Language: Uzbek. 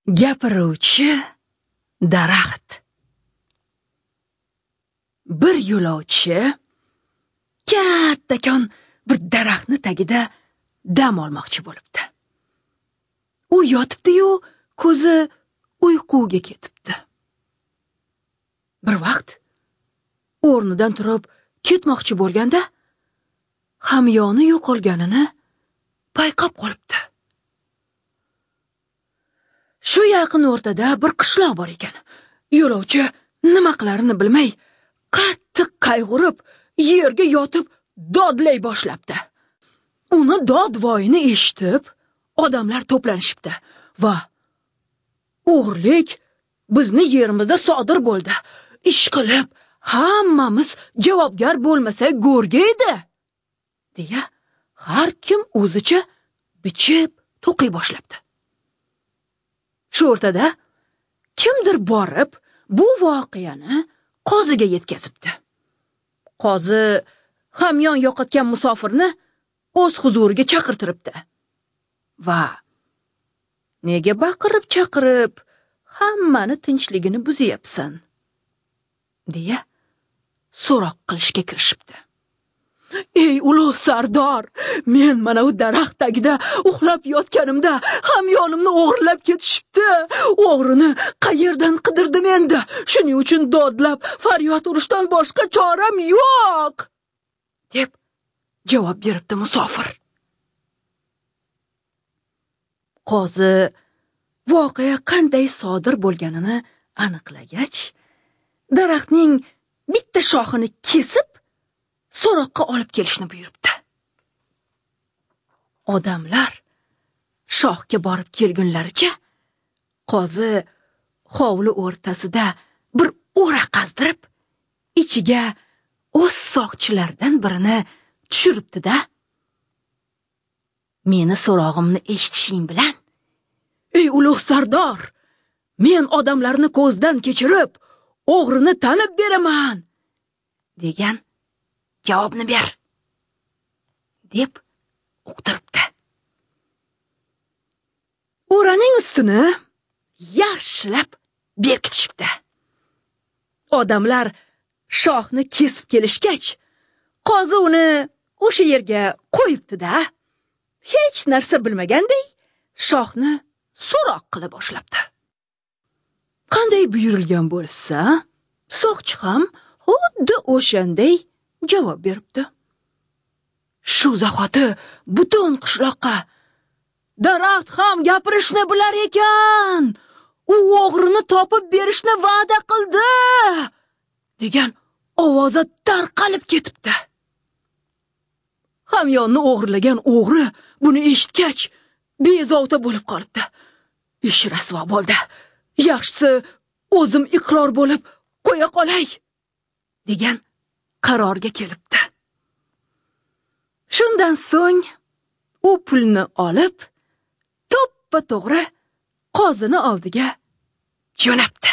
Gapiruvchi daraxt. Bir yo'lovchi kattakon bir daraxtni tagida dam olmoqchi bo'libdi. U yotibdi-yu, ko'zi uyquga ketibdi. Bir vaqt o'rnidan turib ketmoqchi bo'lganda hamyoni yo'qolganini payqab qolibdi. Shu yaqin o'rtada bir qishloq bor ekan. Yo'lovchi nima qilarini bilmay, qattiq qayg'urib, yerga yotib dodlay boshlabdi. Uni dodvoyini eshitib, odamlar to'planishibdi va o'g'irlik bizni yerimizda sodir bo'ldi. Ish qilib, hammamiz javobgar bo'lmasak go'rga edi, deya har kim o'zicha bichib to'qiy boshlabdi. Shu o'rtada kimdir borib bu voqeani qoziga yetkazibdi. Qozi hamyon yo'qotgan musofirni o'z huzuriga chaqirtiribdi. Va nega baqirib chaqirib hammani tinchligini buzyapsan, deya so'roq qilishga kirishibdi. Ey ulug' sardor, men mana u daraxt tagida uxlab yotganimda hamyonimni o'g'irlab ketishibdi. O'g'rini qayerdan qidirdim endi? Shuning uchun dodlab faryod urishdan boshqa choram yo'q, deb javob beribdi musofir. Qozi voqea qanday sodir bo'lganini aniqlagach, daraxtning bitta shoxini kesib so'roqqa olib kelishni buyuribdi. Odamlar shoxga borib kelgunlaricha qozi hovli o'rtasida bir o'ra qazdirib, ichiga o'z soqchilaridan birini tushiribdi-da. Meni so'rog'imni eshitishing bilan, ey ulug' sardor, men odamlarni ko'zdan kechirib, o'g'rini tanib beraman, degan javobni ber, deb uqtiribdi. O'raning ustini yaxshilab berkitishibdi. Odamlar shoxni kesib kelishgach, qozi uni o'sha yerga qo'yibdi-da, hech narsa bilmaganday shoxni so'roq qila boshlabdi. Qanday buyurilgan bo'lsa, soqchi ham xuddi o'shanday javob beribdi. Shu zahoti butun qishloqqa daraxt ham gapirishni bilar ekan, u o'g'rini topib berishni va'da qildi, degan ovoza tarqalib ketibdi. Hamyonni o'g'irlagan o'g'ri buni eshitgach bezovta bo'lib qolibdi. Ish rasvo bo'ldi. Yaxshisi o'zim iqror bo'lib qo'ya qolay, degan qarorga kelibdi. Shundan so'ng u pulni olib to'ppa-to'g'ri qozini oldiga jo'nabdi.